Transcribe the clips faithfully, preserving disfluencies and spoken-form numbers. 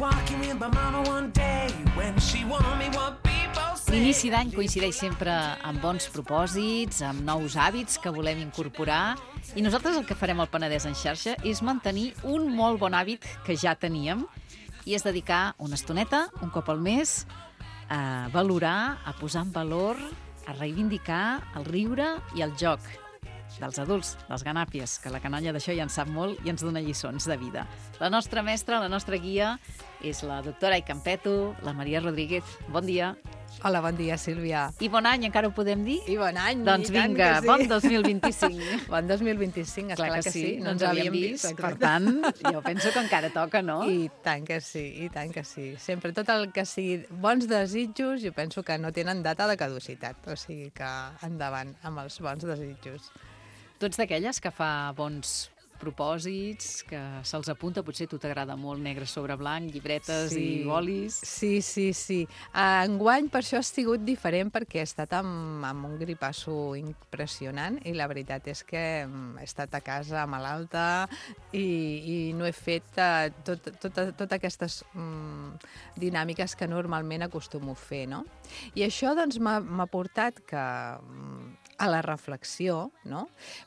walking with my mama one day when she warned me what people say. L'inici d'any coincideix sempre amb bons propòsits, amb nous hàbits que volem incorporar, i nosaltres el que farem al Penedès en xarxa és mantenir un molt bon hàbit que ja teníem, i és dedicar una estoneta, un cop al mes, a valorar, a posar en valor, a reivindicar el riure i el joc dels adults, dels ganàpies, que la canalla d'això ja en sap molt i ens dona lliçons de vida. La nostra mestra, la nostra guia, és la doctora Aicampeto, la Maria Rodríguez. Bon dia. Hola, bon dia, Sílvia. I bon any, encara ho podem dir? I bon any, Doncs i tant vinga, que sí. bon dos mil vint-i-cinc. Bon dos mil vint-i-cinc, esclar Clar que, que sí, sí, no ens havíem vist, per tant, jo penso que encara toca, no? I tant que sí, i tant que sí. Sempre tot el que sigui bons desitjos, jo penso que no tenen data de caducitat, o sigui que endavant amb els bons desitjos. Tu ets d'aquelles que fa bons propòsits, que se'ls apunta, potser a tu t'agrada molt negre sobre blanc, llibretes Sí. i bolis. Sí, sí, sí. Enguany per això ha sigut diferent perquè he estat amb, amb un gripasso impressionant i la veritat és que he estat a casa malalta i, i no he fet uh, tot, tot, tot aquestes um, dinàmiques que normalment acostumo a fer, no? I això doncs m'ha m'ha portat que um, a la reflexió, no?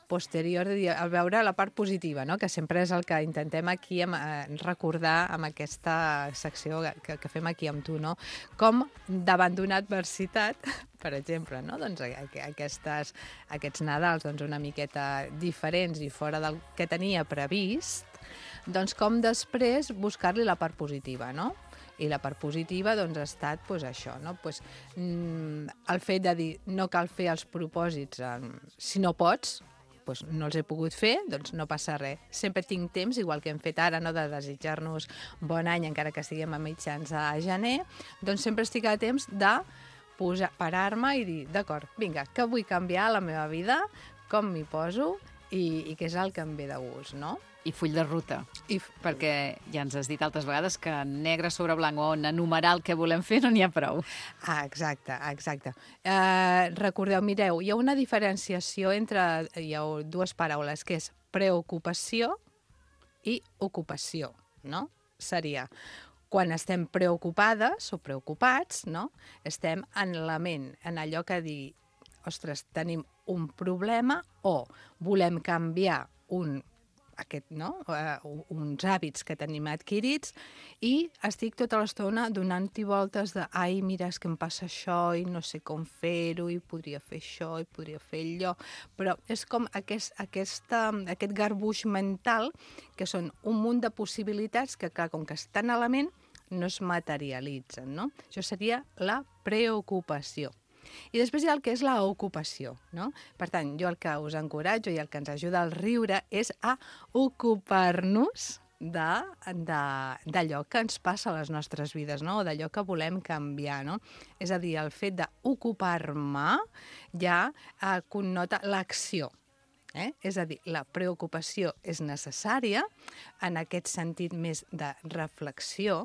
Posterior, a veure la part positiva, no? Que sempre és el que intentem aquí amb, eh, recordar amb aquesta secció que, que fem aquí amb tu, no? Com davant d'una adversitat, per exemple, no? Doncs aquestes, aquests Nadals doncs una miqueta diferents i fora del que tenia previst, doncs com després buscar-li la part positiva, no? I la part positiva doncs, ha estat pues, això, no? Pues, mm, el fet de dir no cal fer els propòsits eh, si no pots, pues, no els he pogut fer, doncs no passa res. Sempre tinc temps, igual que hem fet ara, no, de desitjar-nos bon any, encara que estiguem a mitjans a gener, doncs sempre estic a temps de posar, parar-me i dir, d'acord, vinga, que vull canviar la meva vida, com m'hi poso i, i què és el que em ve de gust, no? I full de ruta, I... perquè ja ens has dit altres vegades que negre sobre blanc o en enumerar el que volem fer no n'hi ha prou. Ah, exacte, exacte. Eh, recordeu, mireu, hi ha una diferenciació entre, hi ha dues paraules, que és preocupació i ocupació, no? Seria, quan estem preocupades o preocupats, no? Estem en la ment, en allò que dir, ostres, tenim un problema o volem canviar un aquest, no? uh, uns hàbits que tenim adquirits i estic tota l'estona donant-hi voltes de ai, mira, és que em passa això i no sé com fer-ho i podria fer això i podria fer allò, però és com aquest, aquesta, aquest garbuix mental que són un munt de possibilitats que, clar, com que estan a la ment, no es materialitzen, no? Això seria la preocupació. I després hi ha el que és l'ocupació, no? Per tant, jo el que us encoratjo i el que ens ajuda al riure és a ocupar-nos d'allò que ens passa a les nostres vides, no? O d'allò que volem canviar, no? És a dir, el fet d'ocupar-me ja eh, connota l'acció. Eh? És a dir, la preocupació és necessària en aquest sentit més de reflexió,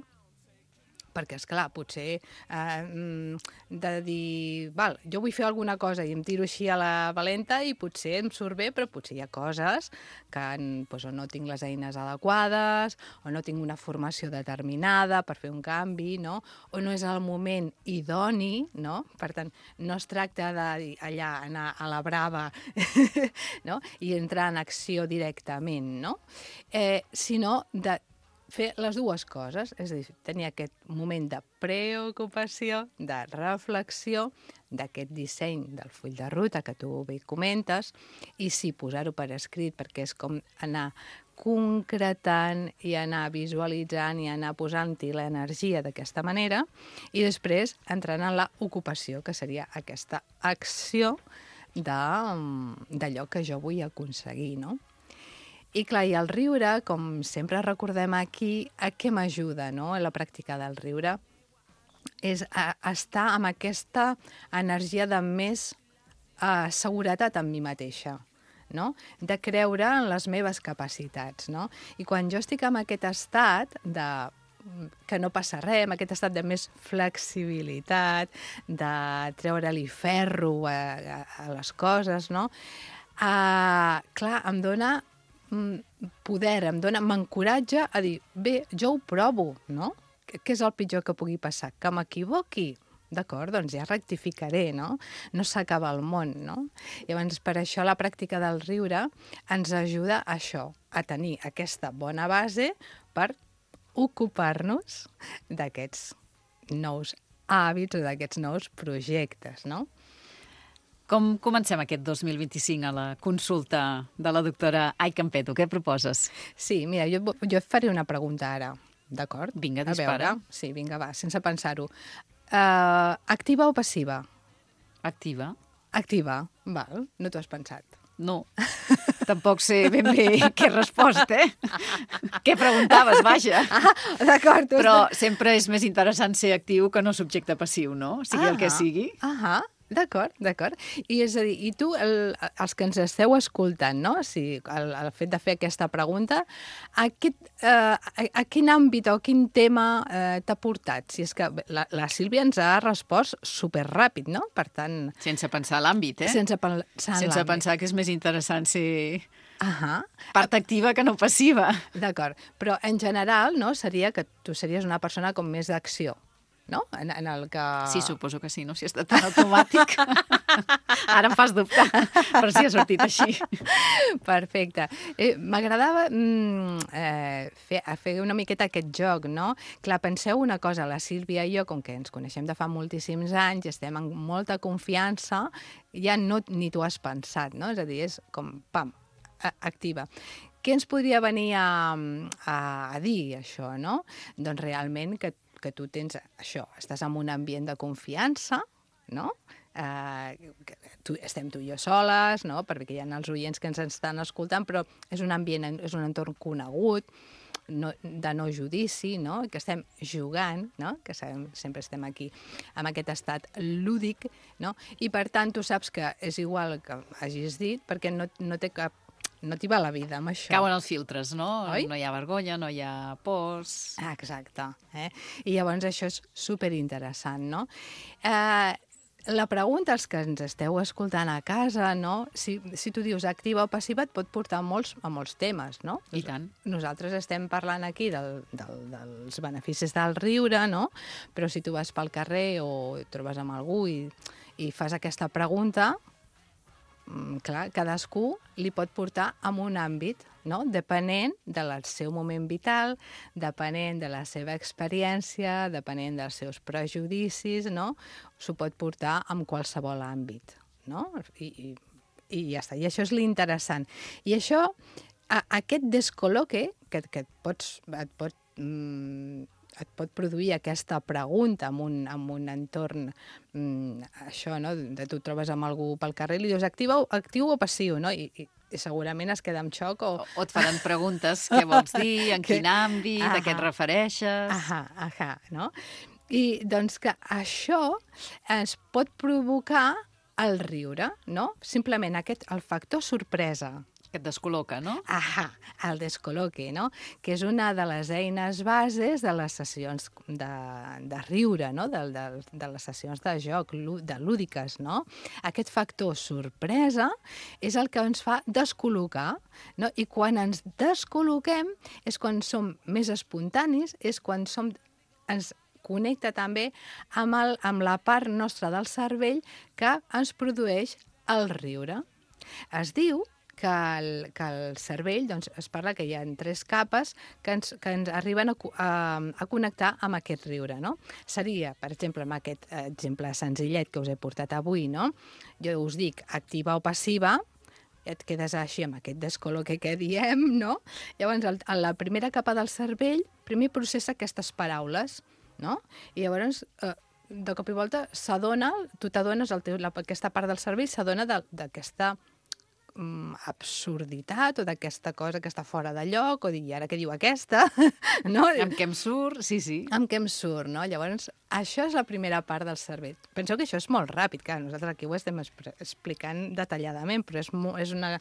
perquè, esclar, potser eh, de dir, val, jo vull fer alguna cosa i em tiro així a la valenta i potser em surt bé, però potser hi ha coses que doncs, o no tinc les eines adequades, o no tinc una formació determinada per fer un canvi, no? O no és el moment idoni, no? Per tant, no es tracta d'allà anar a la brava no? I entrar en acció directament, no? Eh, sinó de fer les dues coses, és a dir, tenir aquest moment de preocupació, de reflexió, d'aquest disseny del full de ruta que tu bé comentes, i sí, posar-ho per escrit, perquè és com anar concretant i anar visualitzant i anar posant-hi l'energia d'aquesta manera, i després entrant en l'ocupació, que seria aquesta acció d'allò que jo vull aconseguir, no? I clar, i el riure, com sempre recordem aquí, a què m'ajuda, no?, a la pràctica del riure? És a, a estar amb aquesta energia de més uh, seguretat en mi mateixa, no? De creure en les meves capacitats, no? I quan jo estic en aquest estat de que no passa res, amb aquest estat de més flexibilitat, de treure-li ferro a, a, a les coses, no? Uh, clar, em dona poder, em dona, m'encoratja a dir, bé, jo ho provo, no? què és el pitjor que pugui passar? Que m'equivoqui? D'acord, doncs ja rectificaré, no? No s'acaba el món, no? Llavors, per això la pràctica del riure ens ajuda a això, a tenir aquesta bona base per ocupar-nos d'aquests nous hàbits o d'aquests nous projectes, no? Com comencem aquest dos mil vint-i-cinc a la consulta de la doctora Ai Campeto? Què proposes? Sí, mira, jo, jo et faré una pregunta ara, d'acord? Vinga, A dispara. veure. Sí, vinga, va, sense pensar-ho. Uh, activa o passiva? Activa? Activa, val, no t'ho has pensat. No. Tampoc sé ben bé què he respost, eh? Què preguntaves, vaja. Ah, d'acord. tu Però estàs- sempre és més interessant ser actiu que no subjecte passiu, no? Sigui el que Ah, sigui. Ahà, d'acord, d'acord. I és a dir, i tu, el, els que ens esteu escoltant, no? O sigui, el, el fet de fer aquesta pregunta, a, aquest, eh, a, a quin àmbit o quin tema eh, t'ha portat? Si és que la, la Sílvia ens ha respost superràpid, no? Per tant, Sense pensar l'àmbit, eh? sense pensar en Sense l'àmbit. pensar que és més interessant ser Ahà, part activa que no passiva. d'acord. Però en general, no? Seria que tu series una persona com més d'acció, no? En, en el que... Sí, suposo que sí, no? Si ha estat tan automàtic. Ara em fas dubtar, però sí ha sortit així. Perfecte. Eh, M'agradava mm, eh, fer, a fer una miqueta aquest joc, no? Clar, penseu una cosa, la Sílvia i jo, com que ens coneixem de fa moltíssims anys, estem en molta confiança, ja no ni t'ho has pensat, no? És a dir, és com, pam, a- activa. Què ens podria venir a, a, a dir, això, no? Doncs realment que, que tu tens això, estàs en un ambient de confiança, no? Eh, que tu, estem tu i jo soles, no? Perquè hi ha els oients que ens estan escoltant, però és un ambient, és un entorn conegut, no, de no judici, no? Que estem jugant, no? Que sabem, sempre estem aquí amb aquest estat lúdic, no? I per tant tu saps que és igual que hagis dit, perquè no, no té cap no t'hi va la vida amb això. Cauen els filtres, no? Oi? No hi ha vergonya, no hi ha pors... Ah, exacte. Eh? I llavors això és superinteressant, no? Eh, la pregunta als que ens esteu escoltant a casa, no? Si, si tu dius activa o passiva, et pot portar a molts, a molts temes, no? I tant. Nosaltres estem parlant aquí del, del, dels beneficis del riure, no? Però si tu vas pel carrer o et trobes amb algú i, i fas aquesta pregunta, mm, clar, cadascú li pot portar a un àmbit, no? Depenent del seu moment vital, depenent de la seva experiència, depenent dels seus prejudicis, no? S'ho pot portar en qualsevol àmbit, no? I, i, i ja està. I això és l'interessant. I això, a, aquest descol·loque, que, que et pots... Et pot, mm, et pot produir aquesta pregunta en un, en un entorn, mm, això, no? De tu et trobes amb algú pel carrer i li dius actiu, actiu o passiu, no? I, i, i segurament es queda en xoc o... O, o et faran preguntes, què vols dir, en Que- quin àmbit, a què et Ahà. refereixes... Ahà, ahà, no? I doncs que això ens pot provocar el riure, no? Simplement aquest, el factor sorpresa. Que et descol·loca, no? Ahà, el descol·loque, no? Que és una de les eines bases de les sessions de, de riure, no? De, de, de les sessions de joc, lú- de lúdiques, no? Aquest factor sorpresa és el que ens fa descol·locar, no? I quan ens descol·loquem és quan som més espontanis, és quan som, ens connecta també amb, el, amb la part nostra del cervell que ens produeix el riure. Es diu que el, que el cervell, doncs, es parla que hi ha tres capes que ens, que ens arriben a, co- a, a connectar amb aquest riure, no? Seria, per exemple, amb aquest exemple senzillet que us he portat avui, no? Jo us dic activa o passiva, et quedes així amb aquest descol·loque que diem, no? Llavors, el, la primera capa del cervell primer processa aquestes paraules, no? I llavors, eh, de cop i volta, s'adona, tu t'adones, el teu- la- aquesta part del cervell s'adona de- d'aquesta mm, absurditat o d'aquesta cosa que està fora de lloc, o dir, i ara què diu aquesta? No? Amb què em surt? Sí, sí. Amb què em surt, no? Llavors, això és la primera part del cervell. Penseu que això és molt ràpid, clar, nosaltres aquí ho estem expre- explicant detalladament, però és, mo és una...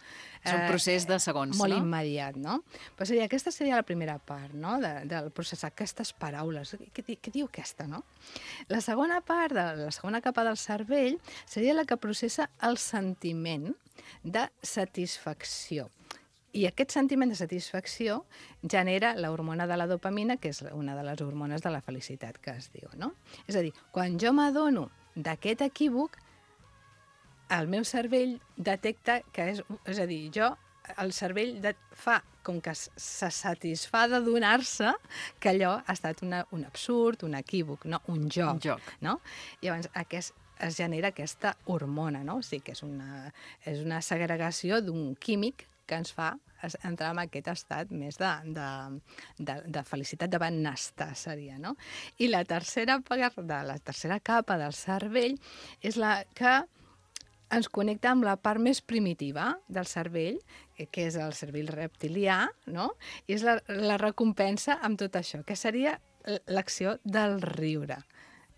És un procés de segons, molt no? immediat, no? Però seria, aquesta seria la primera part, no?, de, del processar aquestes paraules. Què, di- què diu aquesta, no? La segona part, de, la segona capa del cervell, seria la que processa el sentiment de satisfacció. I aquest sentiment de satisfacció genera l'hormona de la dopamina, que és una de les hormones de la felicitat que es diu, no? És a dir, quan jo m'adono d'aquest equívoc, el meu cervell detecta que és... És a dir, jo, el cervell de, fa com que se satisfà de donar-se que allò ha estat una, un absurd, un equívoc, no? Un joc. Un joc. No? Llavors, aquest, es genera aquesta hormona, no? O sigui que és una, és una segregació d'un químic que ens fa entrar en aquest estat més de, de, de, de felicitat, de benestar, seria, no? I la tercera part, de la tercera capa del cervell és la que ens connecta amb la part més primitiva del cervell, que és el cervell reptilià, no? I és la, la recompensa amb tot això, que seria l'acció del riure.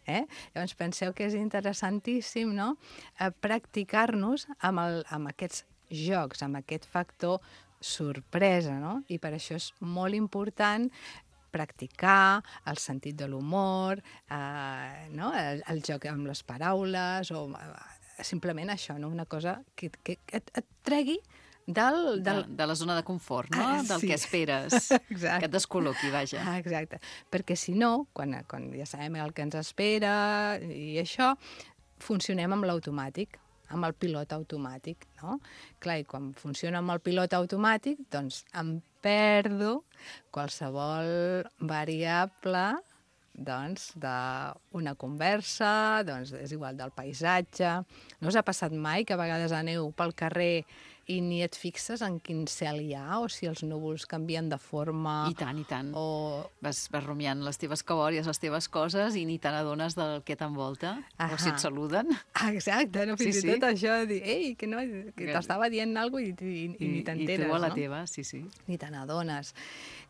Eh? Llavors penseu que és interessantíssim, no? Eh, practicar-nos amb, el, amb aquests jocs, amb aquest factor sorpresa, no? I per això és molt important practicar el sentit de l'humor, eh, no? el, el joc amb les paraules, o eh, simplement això, no? Una cosa que, que et, et tregui del... del... De, de la zona de confort, no? Ah, del sí. que esperes, Exacte. que et descol·loqui, vaja. Ah, exacte, perquè si no, quan, quan ja sabem el que ens espera i això, funcionem amb l'automàtic, amb el pilot automàtic, no? Clar, i quan funciona amb el pilot automàtic, doncs em perdo qualsevol variable doncs, d'una conversa, doncs, és igual, del paisatge. No us ha passat mai que a vegades aneu pel carrer i ni et fixes en quin cel hi ha, o si els núvols canvien de forma... I tant, i tant. O... Vas, vas rumiant les teves cabòries, les teves coses, i ni te n'adones del que t'envolta, o si et saluden. Ah, exacte, no? Fins Sí, i sí. tot això, de dir, ei, que, no, que t'estava dient alguna cosa i, i, i, i ni t'enteres, I tu a la no? teva, sí, sí. Ni te n'adones.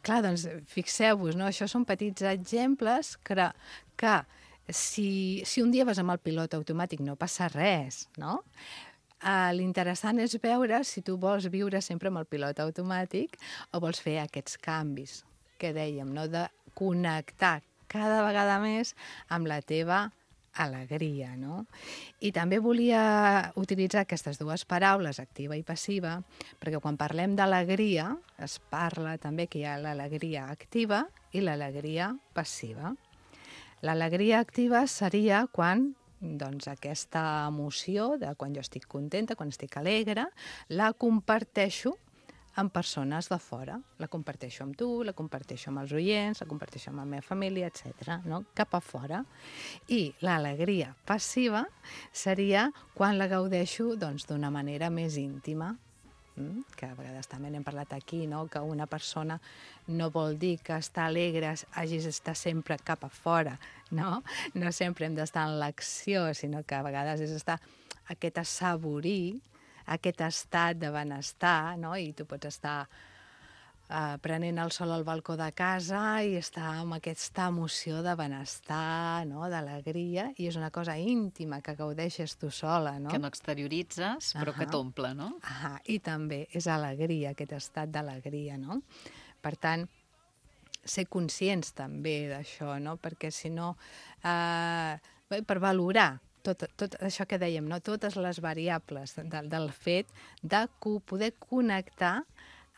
Clar, doncs, fixeu-vos, no? Això són petits exemples que, que si, si un dia vas amb el pilot automàtic no passa res, no? Uh, l'interessant és veure si tu vols viure sempre amb el pilot automàtic o vols fer aquests canvis que dèiem, no? De connectar cada vegada més amb la teva alegria, no? I també volia utilitzar aquestes dues paraules, activa i passiva, perquè quan parlem d'alegria es parla també que hi ha l'alegria activa i l'alegria passiva. L'alegria activa seria quan doncs, aquesta emoció de quan jo estic contenta, quan estic alegre, la comparteixo amb persones de fora. La comparteixo amb tu, la comparteixo amb els oients, la comparteixo amb la meva família, etcètera, no? Cap a fora. I l'alegria passiva seria quan la gaudeixo doncs, d'una manera més íntima, mm? Que a vegades també n'hem parlat aquí, no? Que una persona no vol dir que estar alegre hagis d'estar sempre cap a fora, no? No sempre hem d'estar en l'acció, sinó que a vegades és estar aquest assaborir, aquest estat de benestar, no? I tu pots estar uh, prenent el sol al balcó de casa i estar amb aquesta emoció de benestar, no? D'alegria, i és una cosa íntima que gaudeixes tu sola, no? Que no exterioritzes, però que Ahà. t'omple, no? Ah, i també és alegria, aquest estat d'alegria, no? Per tant, ser conscients també d'això, no? Perquè si no, eh, per valorar tot, tot això que dèiem, no? Totes les variables de, del fet de poder connectar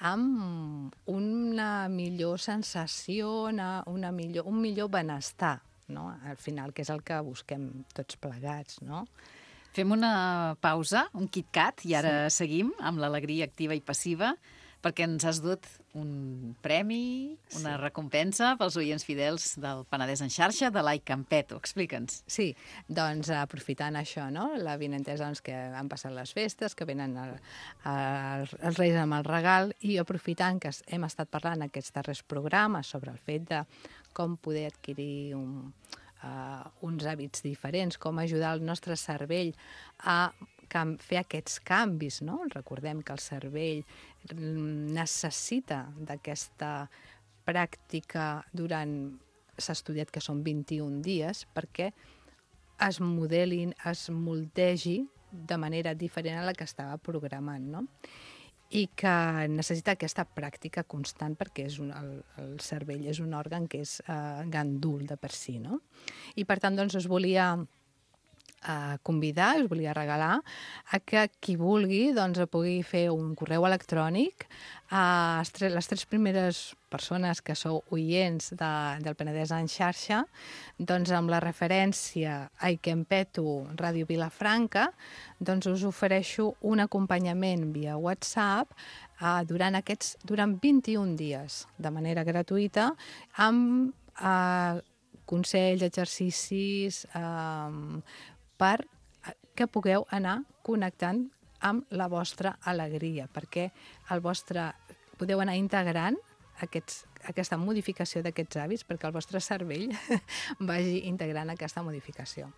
amb una millor sensació, una, una millor, un millor benestar, no? Al final, que és el que busquem tots plegats, no? Fem una pausa, un KitKat, i ara sí. seguim amb l'alegria activa i passiva, perquè ens has dut un premi, una sí. recompensa pels oients fidels del Penedès en xarxa, de l'Ai Campeto. Explica'ns. Sí, doncs aprofitant això, no? L'avinentesa doncs, que han passat les festes, que venen el, el, els Reis amb el regal, i aprofitant que hem estat parlant aquests darrers programes sobre el fet de com poder adquirir un, uh, uns hàbits diferents, com ajudar el nostre cervell a fer aquests canvis, no? Recordem que el cervell necessita d'aquesta pràctica durant, s'ha estudiat que són vint-i-un dies, perquè es modelin, es moldegi de manera diferent a la que estava programant, no? I que necessita aquesta pràctica constant perquè és un, el, el cervell és un òrgan que és eh, gandul de per si, no? I per tant, doncs, us volia a convidar, us volia regalar, a que qui vulgui doncs, pugui fer un correu electrònic a les tres primeres persones que sou oients de, del Penedès en xarxa, doncs amb la referència Ai que em peto Ràdio Vilafranca, doncs us ofereixo un acompanyament via WhatsApp eh, durant aquests durant vint-i-un dies, de manera gratuïta, amb eh, consells, exercicis, eh, per que pugueu anar connectant amb la vostra alegria, perquè el vostre, podeu anar integrant aquests, aquesta modificació d'aquests hàbits perquè el vostre cervell vagi integrant aquesta modificació.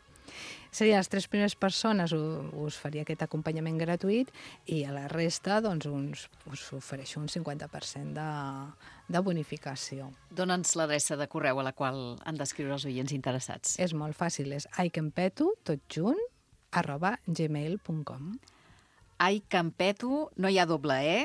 Serien les tres primeres persones, us faria aquest acompanyament gratuït i a la resta doncs, uns, us ofereixo un cinquanta per cent de, de bonificació. Dóna'ns l'adreça de correu a la qual han d'escriure els oients interessats. És molt fàcil, és aiquempeto, tot junt, arroba gmail punt com. Ai que em peto, no hi ha doble E,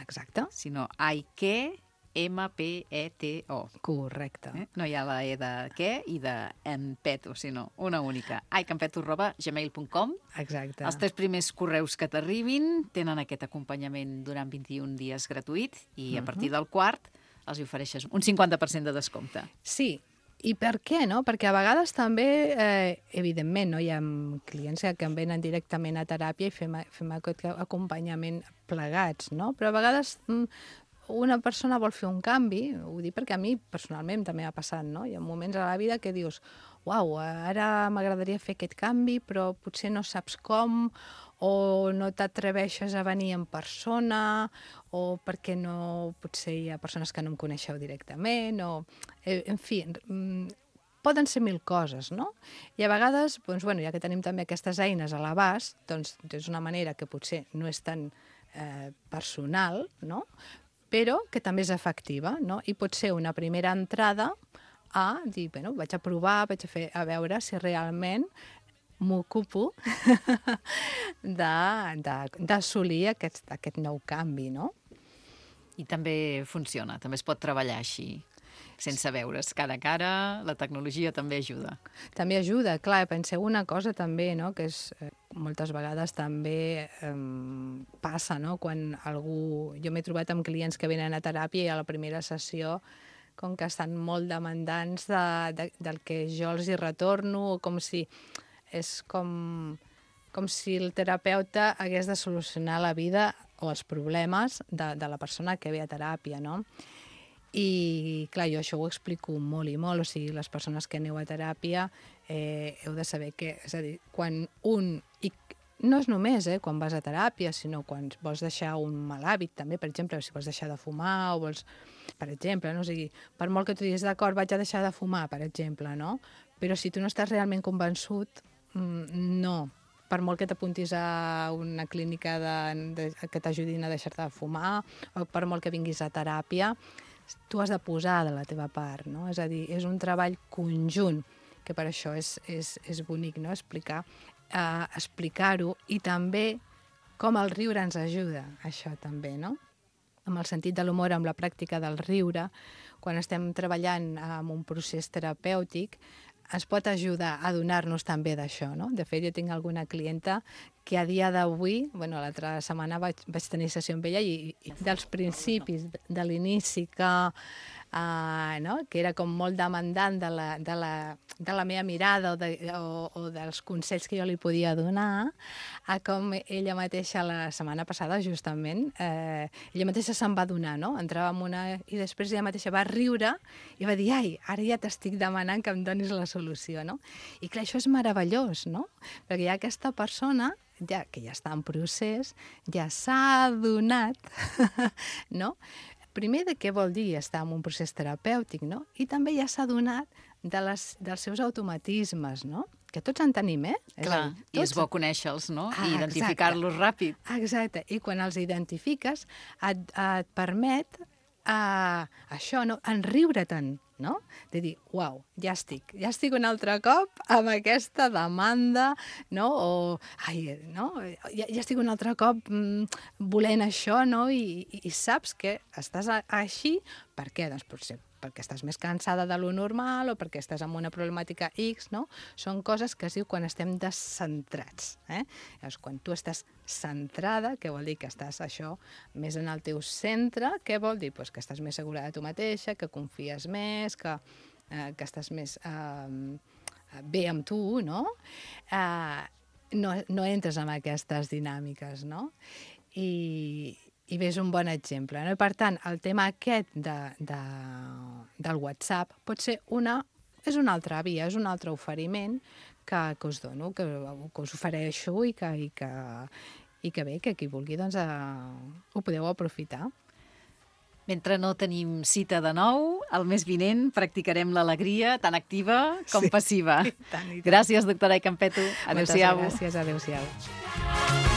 Exacte. sinó ai que, ema pe e te o. Correcte. Eh? No hi ha la E de què i de em peto, sinó una única. ai que em peto arroba gmail punt com. Exacte. Els tres primers correus que t'arribin tenen aquest acompanyament durant vint-i-un dies gratuït i a partir del quart els hi ofereixes un cinquanta per cent de descompte. Sí, i per què, no? Perquè a vegades també, eh, evidentment, no? Hi ha clients que em venen directament a teràpia i fem, fem aquest acompanyament plegats, no? Però a vegades una persona vol fer un canvi, ho dic perquè a mi personalment també m'ha passat, no? Hi ha moments a la vida que dius, uau, ara m'agradaria fer aquest canvi, però potser no saps com, o no t'atreveixes a venir en persona, o perquè no, potser hi ha persones que no em coneixeu directament, o, en fi, poden ser mil coses, no? I a vegades, doncs, bueno, ja que tenim també aquestes eines a l'abast, doncs és una manera que potser no és tan eh, personal, no? Però que també és efectiva, no? I pot ser una primera entrada a dir, bueno, vaig a provar, vaig a, fer, a veure si realment m'ocupo d'assolir aquest, aquest nou canvi, no? I també funciona, també es pot treballar així, sense veure's cara a cara, la tecnologia també ajuda. També ajuda, clar, penseu una cosa també, no?, que és, eh, moltes vegades també eh, passa, no?, quan algú... Jo m'he trobat amb clients que venen a teràpia i a la primera sessió com que estan molt demandants de, de, del que jo els hi retorno, com si... És com, com si el terapeuta hagués de solucionar la vida o els problemes de, de la persona que ve a teràpia, no? I, clar, jo això ho explico molt i molt, o sigui, les persones que aneu a teràpia eh, heu de saber que, és a dir, quan un... I no és només eh, quan vas a teràpia, sinó quan vols deixar un mal hàbit, també, per exemple, si vols deixar de fumar o vols... Per exemple, no? O sigui, per molt que tu diguis, d'acord, vaig a deixar de fumar, per exemple, no? Però si tu no estàs realment convençut, no, per molt que t'apuntis a una clínica de, de, que t'ajudin a deixar-te de fumar, o per molt que vinguis a teràpia, tu has de posar de la teva part, no? És a dir, és un treball conjunt, que per això és, és, és bonic, no?, explicar, eh, explicar-ho, i també com el riure ens ajuda, això també, no? Amb el sentit de l'humor, amb la pràctica del riure, quan estem treballant en un procés terapèutic, ens pot ajudar a donar-nos també d'això, no? De fet, jo tinc alguna clienta que a dia d'avui, bueno, l'altra setmana vaig, vaig tenir sessió amb ella i, i dels principis, de l'inici que, uh, no? que era com molt demandant de la, de la, de la meva mirada o, de, o, o dels consells que jo li podia donar, a com ella mateixa la setmana passada, justament, eh, ella mateixa se'n va donar, no? Entrava en una... I després ella mateixa va riure i va dir, ai, ara ja t'estic demanant que em donis la solució, no? I clar, això és meravellós, no? Perquè hi ha aquesta persona ja, que ja està en procés, ja s'ha adonat, no? Primer, de què vol dir estar en un procés terapèutic, no? I també ja s'ha adonat de les, dels seus automatismes, no? Que tots en tenim, eh? Clar, dir, i és bo conèixer-los, no? Ah, I identificar-los ràpid. Exacte, i quan els identifiques et, et permet uh, això, no? Enriure-te'n, no? De dir, uau, ja estic, ja estic un altre cop amb aquesta demanda, no? O, ai, no? Ja, ja estic un altre cop mm, volent això, no? I, i, i saps que estàs a, així, per què? Doncs potser perquè estàs més cansada de lo normal o perquè estàs amb una problemàtica X, no? Són coses que es diu quan estem descentrats. Eh? Llavors, quan tu estàs centrada, què vol dir? Que estàs això més en el teu centre, què vol dir? Pues que estàs més segura de tu mateixa, que confies més, que, eh, que estàs més eh, bé amb tu, no? Eh, no? No entres en aquestes dinàmiques, no? I, i ves un bon exemple. No? I per tant, el tema aquest de, de, del WhatsApp pot ser una, és una altra via, és un altre oferiment que, que us dono, que, que us ofereixo i que, i que, i que bé, que qui vulgui doncs, eh, ho podeu aprofitar. Mentre no tenim cita de nou, el mes vinent practicarem l'alegria tan activa com sí, passiva. I tant, i tant. Gràcies, doctora Aicampeto. Adéu-siau. Moltes gràcies, adéu-siau.